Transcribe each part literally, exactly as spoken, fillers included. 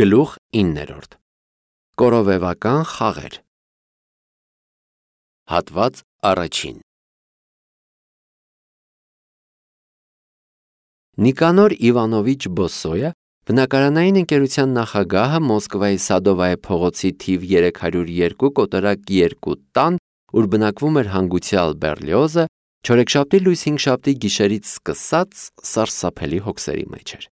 Գլուխ իններորդ Կորովեվական խաղեր Հատված առաջին Նիկանոր Իվանովիչ Բոսոյը բնակարանային ընկերության նախագահը Մոսկվայի Սադովայե փողոցի թիվ երեք հարյուր երկու կոտորակ երկու տան, ուր բնակվում էր հանգուցյալ Բերլիոզը, չորեքշաբթի լույս հինգշաբթի գիշերից սկսած սարսափելի հոգսերի մեջ էր։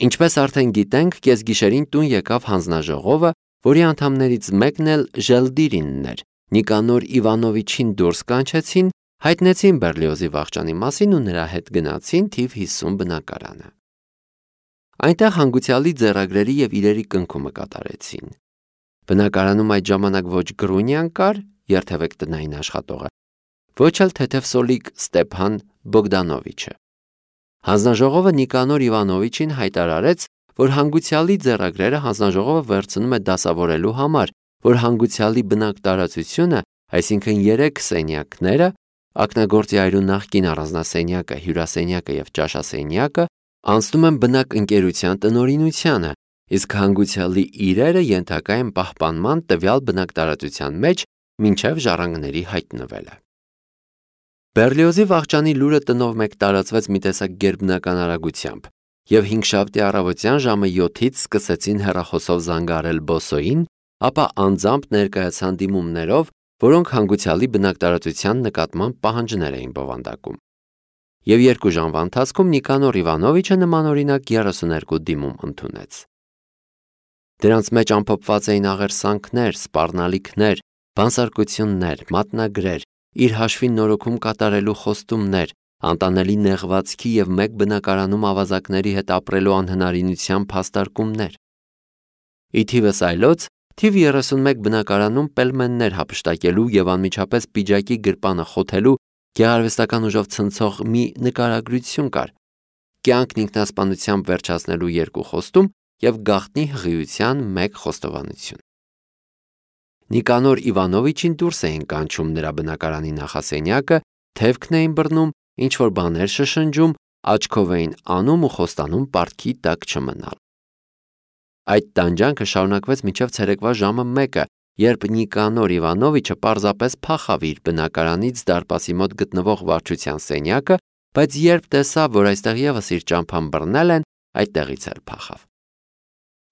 Ինչպես արդեն գիտենք, կեսգիշերին տուն եկավ հանձնաժողովը, որի անդամներից մեկն էլ Ժելդիրինն էր, Նիկանոր Իվանովիչին դուրս կանչեցին, հայտնեցին Բերլիոզի վախճանի մասին ու նրա հետ գնացին թիվ հիսուն բնակարանը։ Այնտեղ հանգուցյալի ձեռագրերի եւ իրերի կնքումը կատարեցին։ Բնակարանում այդ ժամանակ ոչ Գրունյան կար, երթևեք տնային աշխատողը, ոչ էլ թեթևսոլիկ Ստեփան Բոգդանովիչը։ Հանձնաժողովը Նիկանոր Իվանովիչին հայտարարեց, որ հանգուցյալի ձեռագրերը հանձնաժողովը վերցնում է դասավորելու համար, որ հանգուցյալի բնակ տարածությունը, այսինքն երեք սենյակները, ակնագործի այրու նախկին առանձնասենյակը, հյուրասենյակը եւ ճաշասենյակը, անցնում են բնակ ընկերության տնօրինությանը, իսկ հանգուցյալի իրերը ենթակա են պահպանման տվյալ բնակ տարածության մեջ մինչև ժառանգների հայտնվելը։ Բերլիոզի վախճանի լուրը տնով մեկ տարածվեց մի տեսակ գերբնական արագությամբ, եւ հինգշաբթի առավոտյան ժամը յոթից սկսեցին հեռախոսով զանգարել Բոսոյին, ապա անձամբ ներկայացան դիմումներով, որոնք հանգուցյալի բնակ տարածության նկատմամբ պահանջներ էին բովանդակում։ Եվ երկու ժամվա ընթացքում Նիկանոր Իվանովիչը նմանօրինակ երեսուներկու դիմում ընդունեց։ Դրանց մեջ ամփոփված էին աղերսանքներ, սպառնալիքներ, բանսարկություններ, մատնագրեր, իր հաշվին նորոգում կատարելու խոստումներ, անտանելի նեղվածքի եւ մեկ բնակարանում ավազակների հետ ապրելու անհնարինության փաստարկումներ։ Ի թիվս այլոց, թիվ երեսունմեկ բնակարանում պելմեններ հափշտակելու եւ անմիջապես պիջակի գրպանը խոթելու գեղարվեստական ուժով ցնցող մի նկարագրություն կար, կյանքն ինքնասպանությամբ վերջացնելու երկու խոստում եւ գաղտնի հղիության մեկ խոստովանություն։ Նիկանոր Իվանովիչին դուրս էին կանչում նրա բնակարանի նախասենյակը, թևքն էին բռնում, ինչ-որ բաներ շշնջում, աչքով էին անում ու խոստանում պարտքի տակ չմնալ։ Այդ տանջանքը շարունակվեց մինչև ցերեկվա ժամը մեկը, երբ Նիկանոր Իվանովիչը պարզապես փախավ իր բնակարանից դարպասի մոտ գտնվող վարչության սենյակը, բայց երբ տեսավ, որ այստեղ եւս իր ճամփան բռնել են, այդտեղից էլ փախավ։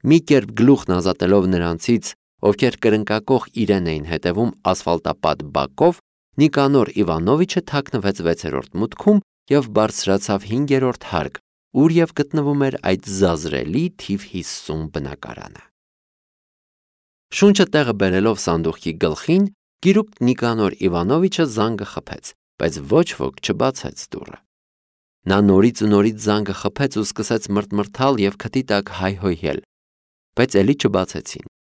Մի կերպ գլուխն ազատելով նրանցից, ովքեր կրնկակող իրեն էին հետևում ասֆալտապատ բակով, Նիկանոր Իվանովիչը թաքնվեց վեցերորդ մուտքում եւ բարձրացավ հինգերորդ հարկ, ուր եւ գտնվում էր այդ զազրելի թիվ հիսուն բնակարանը։ Շունչը տեղը բերելով սանդուղքի գլխին, գիրուկ Նիկանոր Իվանովիչը զանգը խփեց, բայց ոչ ոք չբացեց դուռը։ Նա նորից ու նորից զանգը խփեց ու սկսեց մրթմրթալ եւ քթի տակ հայհոյել, բայց ելի չբացեցին։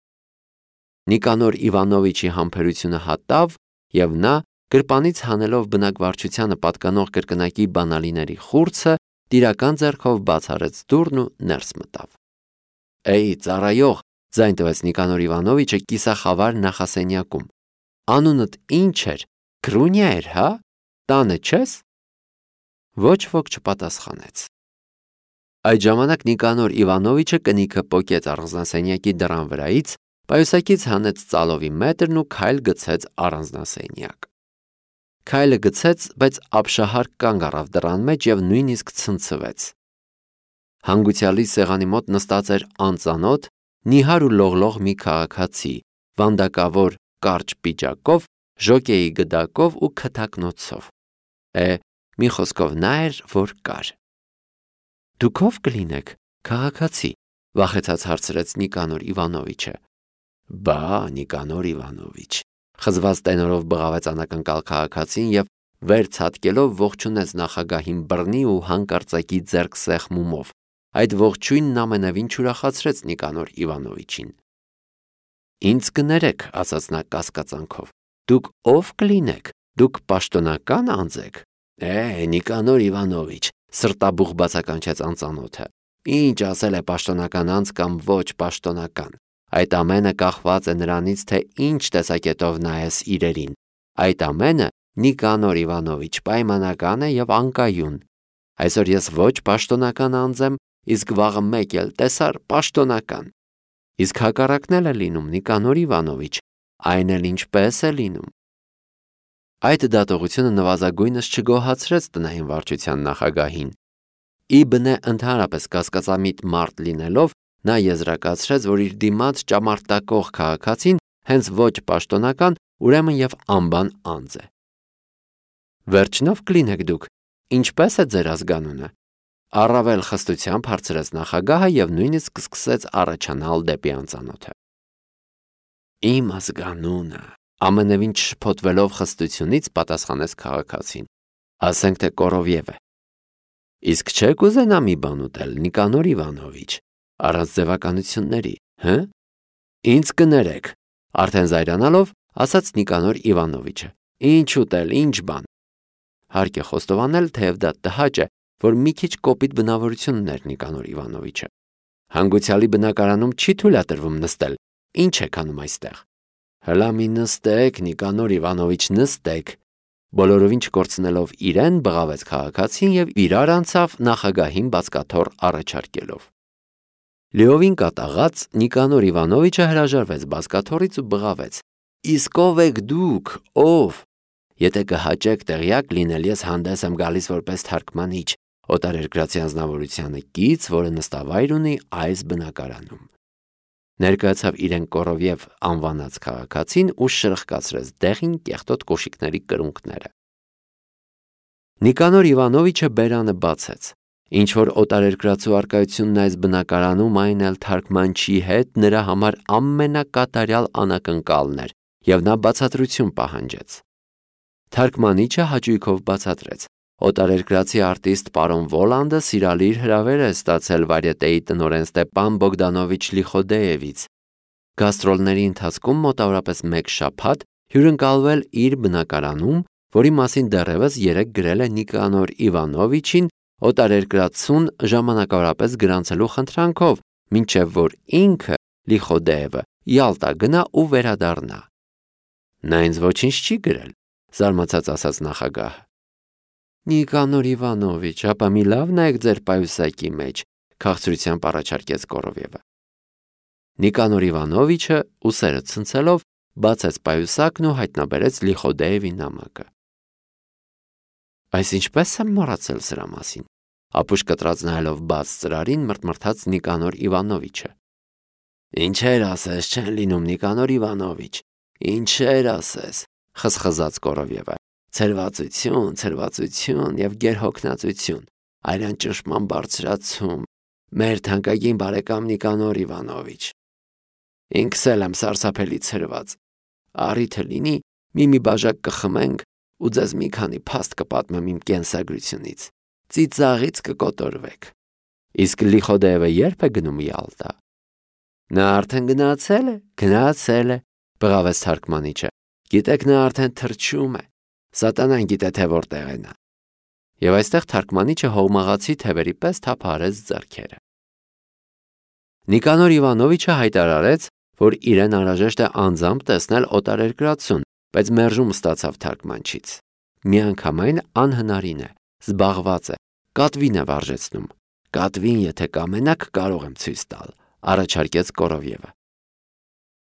Նիկանոր Իվանովիչի համբերությունը հատավ եւ նա, գրպանից հանելով բնակվարչությանը պատկանող կրկնակի բանալիների խուրձը, տիրական ձեռքով բաց արեց դուռն ու ներս մտավ։ Էй, ծառայող, ձայն տվեց Նիկանոր Իվանովիչը կիսախավար նախասենյակում։ Անունդ ինչ էր, Գրունյա էր, հա? Տանը չես։ Ոչ ոք չպատասխանեց։ Այդ ժամանակ Նիկանոր Իվանովիչը կնիքը պոկեց առանձնասենյակի դռան վրայից, պայուսակից հանեց ծալովի մետրն ու քայլ գցեց առանձնասենյակ։ Քայլը գցեց, բայց ապշահար կանգ առավ դռան մեջ եւ նույնիսկ ցնցվեց։ Հանգուցյալի սեղանի մոտ նստած էր անծանոթ, նիհար ու լողլող մի քաղաքացի, վանդակավոր կարճ պիջակով, ժոկեի գդակով ու քթակնոցով։ Է, մի խոսքով նա էր, որ կար։ Դուք ով կլինեք, քաղաքացի, վախեցած հարցրեց Նիկանոր Իվանովիչը։ Բա, Նիկանոր Իվանովիչ, խզված տենորով բղավեց անակնկալ քաղաքացին եւ վեր ցատկելով ողջունեց նախագահին բռնի ու հանկարծակի ձեռք սեղմումով։ Այդ ողջույնն ամենևին չուրախացրեց Նիկանոր Իվանովիչին։ Ինձ կներեք, ասաց նա կասկածանքով։ Դուք ով կլինեք, դուք պաշտոնական անձ եք։ Է, Նիկանոր Իվանովիչ, սրտաբուխ բացականչեց անծանոթը։ Ինչ ասել է պաշտոնական անձ կամ ոչ պաշտոնական։ Այդ ամենը կախված է նրանից, թե ինչ տեսակետով նայես իրերին։ Այդ ամենը Նիկանոր Իվանովիչ պայմանական է եւ անկայուն։ Այսօր ես ոչ պաշտոնական անձ եմ, իսկ վաղը մեկ էլ տեսար պաշտոնական։ Իսկ հակառակն էլ է լինում, Նիկանոր Իվանովիչ, այն էլ ինչպես է լինում։ Այդ դատողությունը նվազագույնս չգոհացրեց տնային վարչության նախագահին։ Ի բնե ընդհանրապես կասկածամիտ մարդ լինելով, նա եզրակացրեց, որ իր դիմաց ճամարտակող քաղաքացին հենց ոչ պաշտոնական, ուրեմն եւ անբան անձ է։ Վերջնով կլինեք դուք, ինչպես է ձեր ազգանունը։ Առավել խստությամբ հարցրեց նախագահը եւ նույնիսկ սկսեց առաջանալ դեպի անծանոթը։ Իմ ազգանունը, ամենևին չշփոթվելով խստությունից պատասխանեց քաղաքացին, ասենք թե Կորովև է։ Իսկ չեք ուզենա մի բան ուտել, Նիկանոր Իվանովիչ, առանց ձևականությունների, հը։ Ինձ կներեք, արդեն զայրանալով ասաց Նիկանոր Իվանովիչը։ Ինչ ուտել, ինչ բան։ Հարկ է խոստովանել, թեև դա տհաճ է, որ մի քիչ կոպիտ բնավորություն ուներ Նիկանոր Իվանովիչը։ Հանգուցյալի բնակարանում չի թույլատրվում նստել, ինչ եք անում այստեղ։ Հլա մի նստեք, Նիկանոր Իվանովիչ, նստեք։ Բոլորովին չկորցնելով իրեն, բղավեց քաղաքացին եւ իրար անցավ նախագահին բացկաթոռ առաջարկելով։ Լիովին կատաղած Նիկանոր Իվանովիչը հրաժարվեց բազկաթոռից ու բղավեց. Իսկ ով եք դուք, ով։ Եթե կհաճեք տեղյակ լինել, ես հանդես եմ գալիս որպես թարգմանիչ, օտարերկրացի անձնավորությանը կից, որը նստավայր ունի այս բնակարանում։ Ներկայացավ իրեն Կորովև անվանած քաղաքացին ու շրխկացրեց դեղին կեղտոտ կոշիկների կրունկները։ Նիկանոր Իվանովիչը բերանը բացեց։ Ինչ որ օտարերկրացու արկայությունն այս բնակարանում, այն էլ թարգմանչի հետ նրա համար ամենակատարյալ անակնկալն էր, եւ նա բացատրություն պահանջեց։ Թարգմանիչը հաճույքով բացատրեց. Օտարերկրացի արտիստ պարոն Վոլանդը սիրալիր հրավեր է ստացել վարյետեի տնօրեն Ստեպան Բոգդանովիչ Լիխոդեևից։ Գաստրոլների ընթացքում մոտավորապես մեկ շաբաթ հյուրընկալվել իր բնակարանում, որի մասին դեռևս երեկ գրել է Նիկանոր Իվանովիչին օտարերկրացուն ժամանակավորապես գրանցելու խնդրանքով, մինչև որ ինքը Լիխոդեևը Յալտա գնա ու վերադառնա։ Նա ինձ ոչինչ չի գրել, զարմացած ասաց նախագահը։ Նիկանոր Իվանովիչ, ապա մի լավ նայեք ձեր պայուսակի մեջ, քաղցրությամբ առաջարկեց Կորովևը։ Նիկանոր Իվանովիչը ուսերը ցնցելով բացեց պայուսակն ու հայտնաբերեց Լիխոդեևի նամակը։ Այս ինչպես եմ մոռացել սրա մասին, ապուշ կտրած նայելով բաց ծրարին մրթմրթաց Նիկանոր Իվանովիչը։ Ինչեր ասես, չեն լինում Նիկանոր Իվանովիչ, ինչեր ասես, խզխզաց Կորովևը։ Ցրվածություն, ցրվածություն եւ գերհոգնածություն, այրան ճնշման բարձրացում, մեր թանկագին բարեկամ Նիկանոր Իվանովիչ։ Ինքս էլ եմ սարսափելի ցրված։ Առիթը լինի, մի-մի բաժակ կխմենք ու ձեզ մի քանի փաստ կպատմեմ իմ կենսագրությունից։ Ծիծաղից կկոտորվեք։ Իսկ Լիխոդեևը երբ է գնում Յալտա։ Նա արդեն գնացել է, գնացել է, բղավեց թարգմանիչը։ Գիտեք, նա արդեն թրջում է։ Սատանան գիտե թե որտեղ է նա։ Եվ այստեղ թարգմանիչը հողմաղացի թևերի պես թափահարեց ձեռքերը։ Նիկանոր Իվանովիչը հայտարարեց, որ իրեն անհրաժեշտ է անձամբ տեսնել օտարերկրացուն, բայց մերժում ստացավ թարգմանչից։ Միանգամայն անհնարին է, զբաղված է, կատվին է վարժեցնում։ Կատվին, եթե կամենաք, կարող եմ ցույց տալ, առաջարկեց Կորովևը։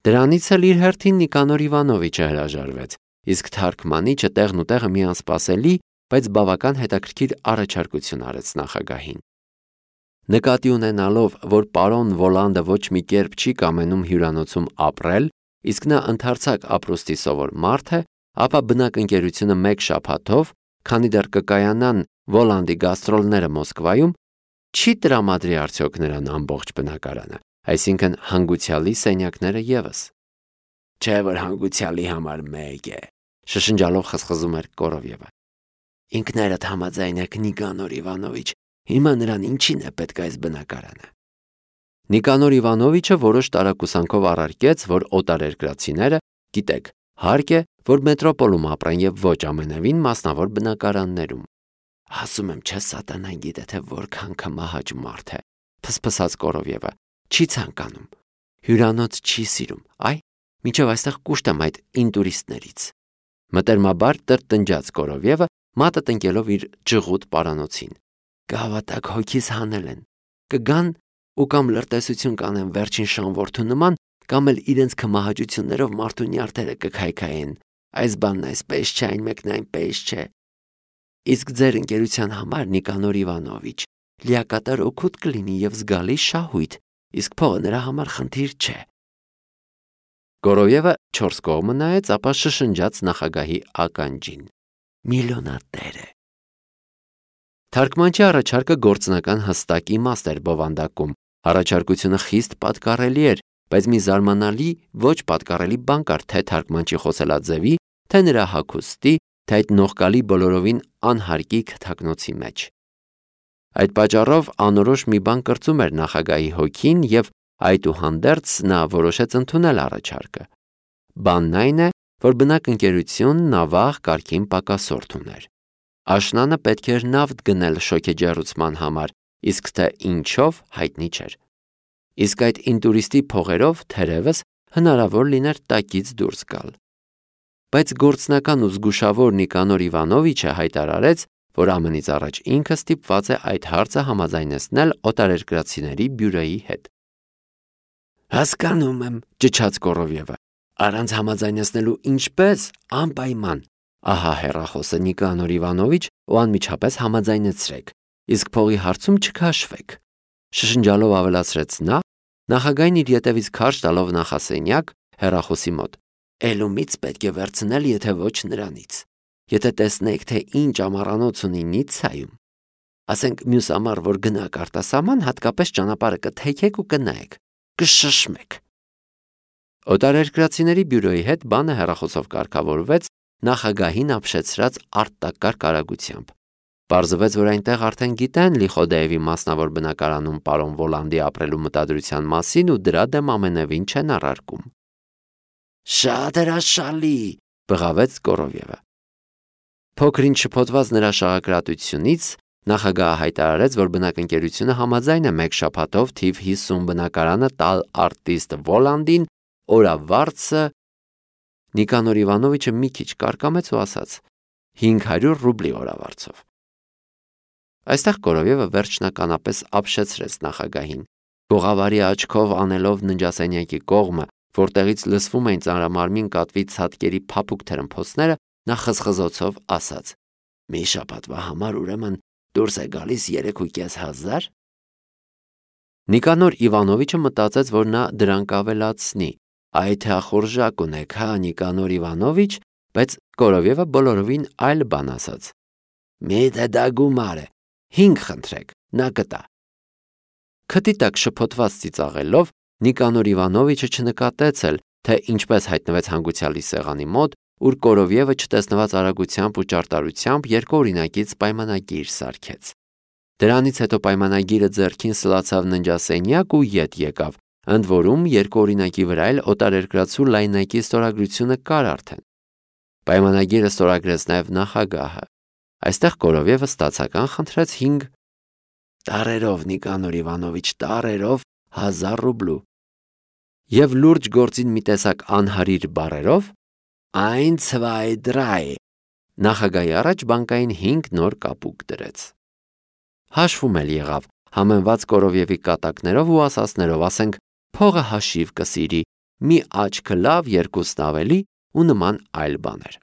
Դրանից էլ իր հերթին Նիկանոր Իվանովիչը հրաժարվեց, իսկ թարգմանիչը տեղն ու տեղը մի անսպասելի, բայց բավական հետաքրքիր առաջարկություն արեց նախագահին։ Նկատի ունենալով, որ պարոն Վոլանդը ոչ մի կերպ չի կամենում հյուրանոցում ապրել, իսկ նա ընդարձակ ապրուստի սովոր մարդ է, ապա բնակընկերությունը մեկ շաբաթով, քանի դեռ կկայանան Վոլանդի գաստրոլները Մոսկվայում, չի տրամադրի արդյոք նրան ամբողջ բնակարանը, այսինքն հանգուցյալի սենյակները ևս։ Չէ որ հանգուցյալի համար մեկ է, շշնջալով խզխզում էր Կորովևը։ Ինքներդ համաձայն եք Նիկանոր Իվանովիչ, հիմա նրան ինչին է պետք այս բնակարանը։ Նիկանոր Իվանովիչը որոշ տարակուսանքով առարկեց, որ օտարերկրացիները, գիտեք, հարկ է, որ մետրոպոլում ապրեն եւ ոչ ամենևին մասնավոր բնակարաններում։ Ասում եմ, չէ սատանան գիտե թե որքան կմահաճ մարդ է, փսփսաց Կորովևը, չի ցանկանում, հյուրանոց չի սիրում, այ, մինչև այստեղ կուշտ եմ այդ ինտուրիստներից։ Մտերմաբար տրտնջաց Կորովևը, մատը տնկելով իր ջղուտ պարանոցին։ Կհավատակ հոգիս հանել են, կգան ու կամ լրտեսություն կանեն վերջին շանորդու նման, կամ էլ իրենց քմահաճություններով մարդու նյարդերը կքայքայեն. այս բանն այսպես չէ, այն մեկն այնպես չէ։ Իսկ ձեր ընկերության համար, Նիկանոր Իվանովիչ, լիակատար օգուտ կլինի եւ զգալի շահույթ, իսկ փողը նրա համար խնդիր չէ։ Գորոյևը չորս կողմը նայեց, ապա շշնջաց նախագահի ականջին. միլիոնատեր է։ Թարգմանչի առաջարկը գործնական հստակ իմաստ էր բովանդակում։ Առաջարկությունը խիստ պատկառելի էր, բայց մի զարմանալի ոչ պատկառելի բան կար թե թարգմանչի խոսելաձևի, թե նրա հագուստի, թե այդ նողկալի բոլորովին անհարկի քթակնոցի մեջ։ Այդ պատճառով անորոշ մի բան կրծում էր նախագահի հոգին եւ այդուհանդերձ նա որոշեց ընդունել առաջարկը։ Բանն այն է, որ բնակ ընկերությունն նավաղ կարգին պակասորդ ուներ։ Աշնանը պետք էր նավթ գնել շոգեջեռուցման համար, իսկ թե ինչով հայտնի չէր։ Իսկ այդ ինտուրիստի փողերով թերևս հնարավոր լիներ տակից դուրս գալ։ Բայց գործնական ու զգուշավոր Նիկանոր Իվանովիչը հայտարարեց, որ ամենից առաջ ինքը ստիպված է այդ հարցը համաձայնեցնել օտարերկրացիների բյուրոյի հետ։ Հասկանում եմ, ճչաց Կորովյևը, առանց համաձայնեցնելու ինչպես, անպայման։ Ահա հեռախոսը Նիկանոր Իվանովիչ ու անմիջապես համաձայնեցրեք, իսկ փողի հարցում չքաշվեք։ Շշնջալով ավելացրեց նա, նախագահին իր ետևից քարշ տալով նախասենյակ հեռախոսի մոտ։ Էլումից պետք է վերցնել, եթե ոչ նրանից։ Եթե տեսնեք, թե ինչ ամառանոց ունի Նիցայում, ասենք մյուս ամառ, որ գնաք արտասահման, հատկապես ճանապարհը կթեքեք ու կնայեք, կշշմեք։ Օտարերկրացիների բյուրոյի հետ բանը հեռախոսով կարգավորվեց նախագահին ապշեցրած արտակարգ արագությամբ։ Պարզվեց, որ այնտեղ արդեն գիտեն Լիխոդեևի մասնավոր բնակարանում պարոն Վոլանդի ապրելու մտադրության մասին ու դրա դեմ ամենևին չեն առարկում։ Շատ հրաշալի, բղավեց Կորովյևը։ Փոքրինչ շփոթված նրա շաղակրատությունից նախագահը հայտարարեց, որ բնակընկերությունը համաձայն է մեկ շաբաթով թիվ հիսուն բնակարանը տալ արտիստ Վոլանդին, օրավարձը։ Նիկանոր Իվանովիչը մի քիչ կարկամեց ու ասաց. հինգ հարյուր ռուբլի օրավարձով։ Այստեղ Կորովյևը վերջնականապես ապշեցրեց նախագահին։ Գողավարի աչքով անելով ննջասենյակի կողմը, որտեղից լսվում էին ծանրամարմին կատվի ցատկերի փափուկ թրմփոցները, նա խզխզոցով ասաց. մի շաբաթվա համար ուրեմն դուրս է գալիս երեք ու կես հազար։ Նիկանոր Իվանովիչը մտածեց, որ նա դրան կավելացնի. Այ թե ախորժակ ունեք, հա, Նիկանոր Իվանովիչ, բայց Կորովյևը բոլորովին այլ բան ասաց. Միթե դա գումար է, հինգ խնդրեք, նա կտա։ Քթի տակ շփոթված ծիծաղելով Նիկանոր Իվանովիչը չնկատեց էլ, թե ինչպես հայտնվեց հանգուցյալի սեղանի մոտ, ուր Կորովյևը չտեսնված արագությամբ ու ճարտարությամբ երկօրինակից պայմանագիր սարքեց։ Դրանից հետո պայմանագիրը ձեռքին սլացավ ննջասենյակ ու ետ եկավ, ընդ որում երկօրինակի վրա էլ օտարերկրացու լայնակի ստորագրությունը կար արդեն։ Պայմանագիրը ստորագրեց նաև նախագահը։ Այստեղ Կորովյևը ստացական խնդրեց հինգ տարերով, Նիկանոր Իվանովիչ, տարերով հազար ռուբլու։ Եվ լուրջ գործին մի տեսակ անհարիր բառերով Ein, zwei, drei նախագահի առաջ բանկային հինգ նոր կապուկ դրեց։ Հաշվում էլ եղավ, համեմված Կորովյևի կատակներով ու ասածներով, ասենք, փողը հաշիվ կսիրի, մի աչքը լավ, երկուսն ավելի ու նման այլ բաներ։